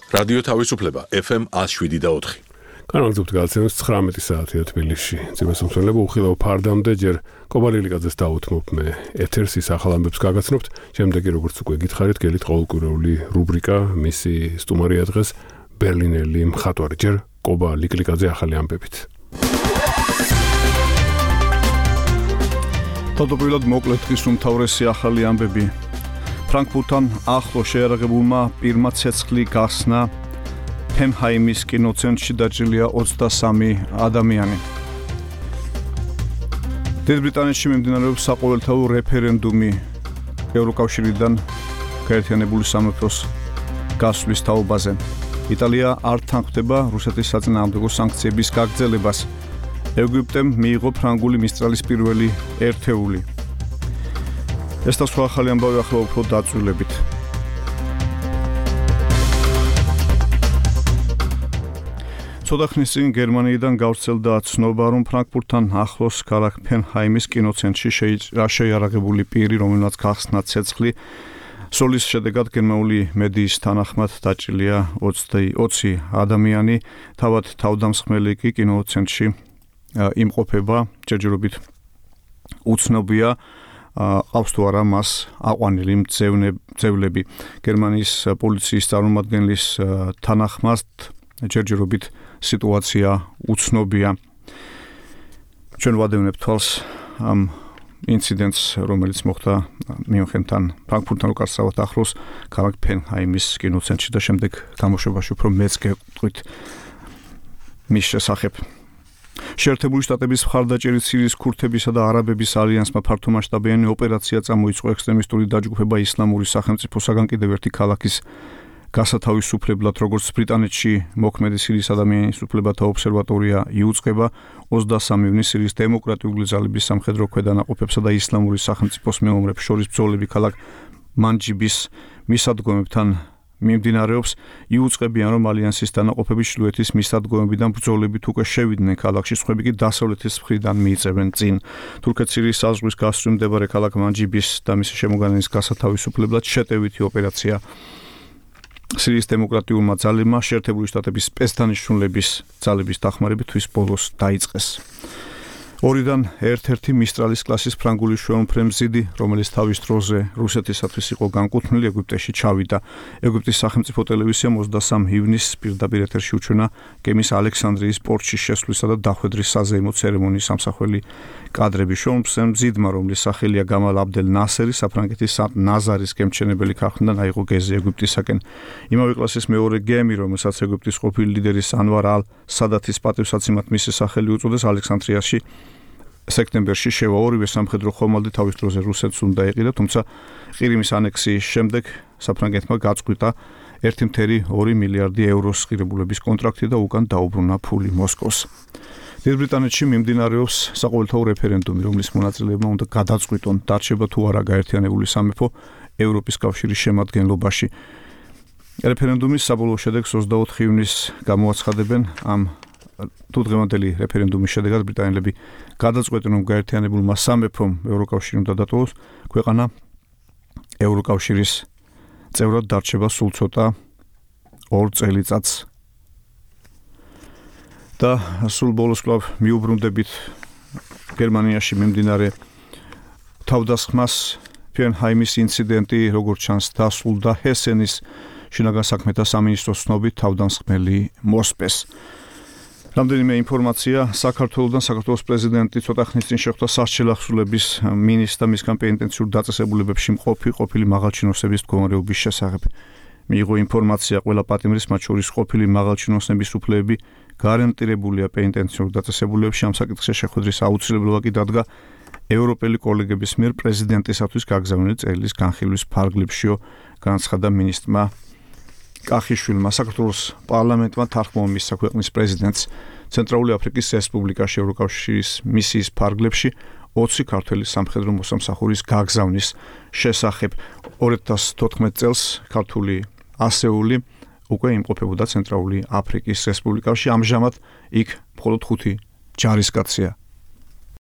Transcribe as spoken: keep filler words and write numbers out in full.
რადიო თავისუფლება ეფ ემ one oh seven და four. განაგრძობთ გადაცემას ცხრამეტი საათია თბილისში. ძიმესამსვლელობა უხილავ ფარდამდე ჯერ კობალილიკაძეს დაუთმობ მე ეთერს ის ახალ ამბებს გაგაცნობთ. შემდეგი როგორც უკვე გითხარით, გელით ყოველკვირეული რუბრიკა მისი სტუმარია დღეს ბერლინელი მხატვარი ჯერ კობა ლიკლიკაძე ახალი ამბებით. თავდაპირველად მოკლედ დღის უმთავრესი ახალი ამბები. ფრანკფურტთან ახლო შეიარაღებულმა პირმა ცეცხლი გახსნა ფენჰაიმის კინოცენტრში დაჭრილია ოცდასამი ადამიანი. დიდ ბრიტანეთში მიმდინარეობს საყოველთაო რეფერენდუმი ევროკავშირიდან გაერთიანებული სამეფოს გასვლის თაობაზე. იტალია არ თანხმდება რუსეთის საწინააღმდეგო სანქციების გაგრძელებას. ეგვიპტემ მიიღო ფრანგული მისტრალის პირველი ერთეული. ეს და სხვა ახალი ამბავი ახლა უფრო დაწვრილებით. ცოტა ხნის წინ გერმანიიდან გავრცელდა ცნობა, რომ ფრანკფურტთან ახლოს ქალაქ ფენჰაიმის კინოცენტრში შეიარაღებული პირი, რომელმაც გახსნა ცეცხლი, სოლის შედეგად გერმანული მედიის თანახმად დაჭრილია ოცი ადამიანი, თავად თავდამსხმელი კი კინოცენტრში იმყოფება, ჯერჯერობით უცნობია ყავს თუ არა მას აყვანილი მძევლები. გერმანიის პოლიციის წარმომადგენლის თანახმად ჯერჯერობით სიტუაცია უცნობია. ჩვენ ვადევნებთ თვალს ამ ინციდენტს, რომელიც მოხდა მიუნხენთან, ფრანკფურტთან უკაცრავად ახლოს ქალაქ ფენჰაიმის კინოცენტრში და შემდეგ გამოშვებაში უფრო მეც გეტყვით მის შესახებ. შეერთებული შტატების მხარდაჭერით სირიის ქურთებისა და არაბების ალიანსმა ფართომასშტაბიანი ოპერაცია წამოიწყო ექსტრემისტული დაჯგუფება ისლამური სახელმწიფოსაგან კიდევ ერთი ქალაქის გასათავისუფლებლად, როგორც ბრიტანეთში მოქმედი სირიის ადამიანის უფლებათა ობსერვატორია იუწყება, ოცდასამი ივნისს სირიის დემოკრატიული ძალების სამხედრო ქვედანაყოფებსა და ისლამური სახელმწიფოს მეომრებს შორის ბრძოლები ქალაქ მანჯიბის მისადგომებთან მიმდინარეობს. იუწყებიან, რომ ალიანსის დანაყოფები ჩრდილოეთის მისადგომებიდან ბრძოლებით უკვე შევიდნენ ქალაქში, სხვები კი დასავლეთის მხრიდან მიიწევენ წინ. თურქეთ-სირიის საზღვრის გასწვრივ მდებარე ქალაქ მანჯიბის და მისი შემოგარენის გასათავისუფლებლად შეტევითი ოპერაცია სირიის დემოკრატიულმა ძალებმა შეერთებული შტატების სპეცდანიშნულების ძალების დახმარებით თვის ბოლოს დაიწყეს. ორიდან ერთ-ერთი მისტრალის კლასის ფრანგული შვეულმფრენ მზიდი, რომელიც თავის დროზე რუსეთისათვის იყო განკუთვნილი, ეგვიპტეში ჩავიდა. ეგვიპტის სახელმწიფო ტელევიზიამ ოცდასამი ივნისს პირდაპირ ეთერში უჩვენა გემის ალექსანდრიის პორტში შესვლისა და დახვედრის საზეიმო ცერემონიის სამსახველი კადრები. შვეულმფრენ მზიდმა, რომლის სახელია გამალ აბდელ ნასერი, საფრანგეთის ნაზარის გემჩენებელი ქარხნიდან აიღო გეზი ეგვიპტისაკენ. იმავე კლასის მეორე გემი, რომელსაც ეგვიპტის ყოფილი ლიდერის ანვარ ალ სადათის პატივსაცემად მისი სახელი უწოდეს, ალექსანდრიაში სექტემბერში შევა. ორივე სამხედრო ხომალდი თავის დროზე რუსეთს უნდა ეყიდა, თუმცა ყირიმის ანექსიის შემდეგ საფრანგეთმა გაწყვიტა ერთი კoma ორი მილიარდი ევროს ღირებულების კონტრაქტი და უკან დაუბრუნა ფული მოსკოვს. დიდ ბრიტანეთში მიმდინარეობს საყოველთაო რეფერენდუმი, რომლის მონაწილეებმა უნდა გადაწყვიტონ, დარჩება თუ არა გაერთიანებული სამეფო ევროპის კავშირის შემადგენლობაში. რეფერენდუმის საბოლოო შედეგს ოცდაოთხი ივნისს გამოაცხადებენ. ამ თუ დღევანდელი რეფერენდუმის შედეგად ბრიტანელები გადაწყვეტენ, რომ გაერთიანებულმა სამეფომ ევროკავშირი უნდა დატოვოს, ქვეყანა ევროკავშირის წევრად დარჩება სულ ცოტა ორ წელიწადს. და სულ ბოლოს კვლავ მიუბრუნდებით გერმანიაში მიმდინარე თავდასხმას. ფენჰაიმის ინციდენტი, როგორც ჩანს, დასრულდა ჰესენის შინაგან საქმეთა სამინისტროს ცნობით თავდამსხმელი მოსპეს. რამდენიმე ინფორმაცია. საქართველოდან საქართველოს პრეზიდენტი ცოტა ხნის წინ შეხვდა სასჯელ ახსულების მინისტრს და მისგან პენიტენციურ დაწესებულებებში მყოფი ყოფილი მაღალჩინოსების მდგომარეობის შესახებ. მიიღო ინფორმაცია, ყველა პატიმრის, მათ შორის ყოფილი მაღალჩინოსნების უფლებები გარანტირებულია პენიტენციურ დაწესებულებებში. ამ საკითხზე შეხვედრის აუცილებლობა კი დადგა ევროპელი კოლეგების მიერ პრეზიდენტისათვის გაგზავნილი წერილის განხილვის ფარგლებშიო, განაცხადა მინისტრმა კახიშვილმა. საქართველოს პარლამენტმა თანხმობა მისცა ქვეყნის პრეზიდენტს ცენტრალური აფრიკის რესპუბლიკაში ევროკავშირის მისიის ფარგლებში ოცი ქართველი სამხედრო მოსამსახურის გაგზავნის შესახებ. ორი ათას თოთხმეტ წელს ქართული ასეული უკვე იმყოფებოდა ცენტრალური აფრიკის რესპუბლიკაში. ამჟამად იქ მხოლოდ ხუთი ჯარისკაცია